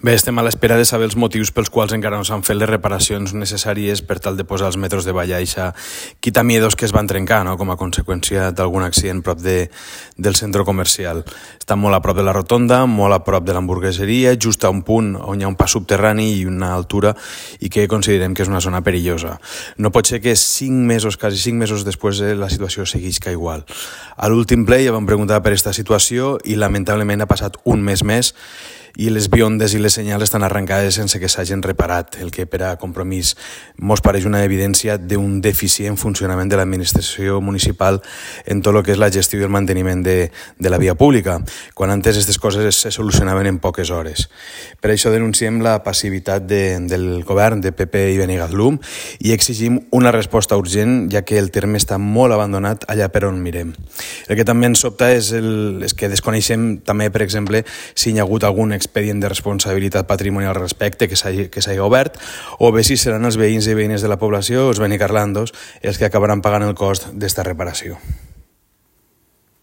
Bé, estem a l'espera de saber els motius pels quals encara no s'han fet les reparacions necessàries per tal de posar els metros de vall a eixa quitamiedos que es van trencar, no?, com a conseqüència d'algun accident prop del centre comercial. Està molt a prop de la rotonda, molt a prop de l'hamburgueseria, just a un punt on hi ha un pas subterrani i una altura i que considerem que és una zona perillosa. No pot ser que quasi 5 mesos després la situació seguisca igual. A l'últim ple ja vam preguntar per aquesta situació i lamentablement ha passat un mes més i les biondes i les senyals estan arrencades sense que s'hagin reparat, el que per a Compromís mos pareix una evidència d'un deficient funcionament de l'administració municipal en tot el que és la gestió i el manteniment de la via pública, quan antes aquestes coses se solucionaven en poques hores. Per això denunciem la passivitat del govern de PP i Benigatslum i exigim una resposta urgent, ja que el terme està molt abandonat allà per on mirem. El que també ens sobta és que desconeixem també, per exemple, si hi ha hagut algun expedient de responsabilitat patrimonial al respecte que s'hagi obert, o bé si seran els veïns i veïnes de la població, els benicarlandos, els que acabaran pagant el cost d'esta reparació.